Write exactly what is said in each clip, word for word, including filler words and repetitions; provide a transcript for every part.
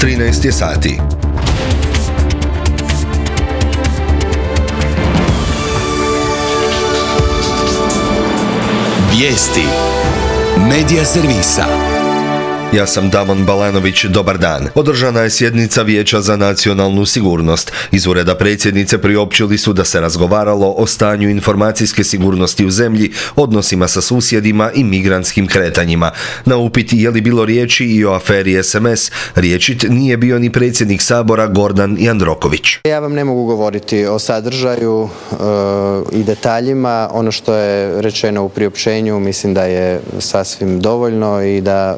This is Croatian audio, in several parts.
trinaest je sati. Vijesti Medija servisa. Ja sam Damon Balanović, dobar dan. Održana je sjednica Vijeća za nacionalnu sigurnost. Iz ureda predsjednice priopćili su da se razgovaralo o stanju informacijske sigurnosti u zemlji, odnosima sa susjedima i migrantskim kretanjima. Na upit je li bilo riječi i o aferi es em es, riječit nije bio ni predsjednik Sabora Gordan Jandroković. Ja vam ne mogu govoriti o sadržaju e, i detaljima. Ono što je rečeno u priopćenju mislim da je sasvim dovoljno i da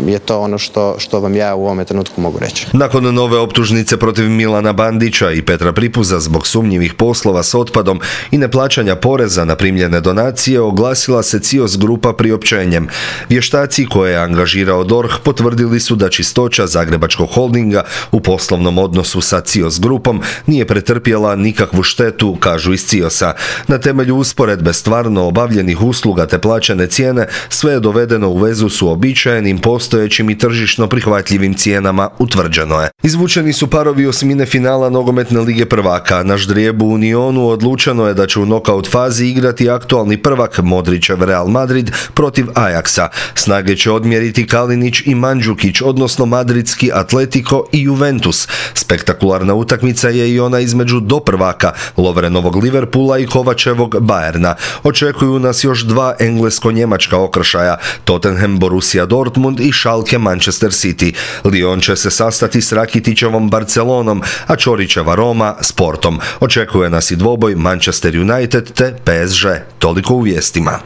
je to ono što, što vam ja u ovome trenutku mogu reći. Nakon nove optužnice protiv Milana Bandića i Petra Pripuza zbog sumnjivih poslova s otpadom i neplaćanja poreza na primljene donacije, oglasila se C I O S grupa priopćenjem. Vještaci koje je angažirao D O R H potvrdili su da čistoća Zagrebačkog holdinga u poslovnom odnosu sa C I O S grupom nije pretrpjela nikakvu štetu, kažu iz C I O S-a. Na temelju usporedbe stvarno obavljenih usluga te plaćene cijene, sve je dovedeno u vezu s uobičajenim postojećim i tržišno prihvatljivim cijenama, utvrđeno je. Izvučeni su parovi osmine finala nogometne lige prvaka. Na ždrijebu u Unionu odlučeno je da će u nokaut fazi igrati aktualni prvak Modrićev Real Madrid protiv Ajaxa. Snage će odmjeriti Kalinić i Mandžukić, odnosno madridski Atletico i Juventus. Spektakularna utakmica je i ona između doprvaka Lovrenovog Liverpoola i Kovačevog Bayerna. Očekuju nas još dva englesko-njemačka okršaja, Tottenham Borussia Dortmund i Schalke Manchester City. Lyon će se sastati s Rakitićevom Barcelonom, a Čorićeva Roma s Portom. Očekuje nas i dvoboj Manchester United te P S G. Toliko u vijestima.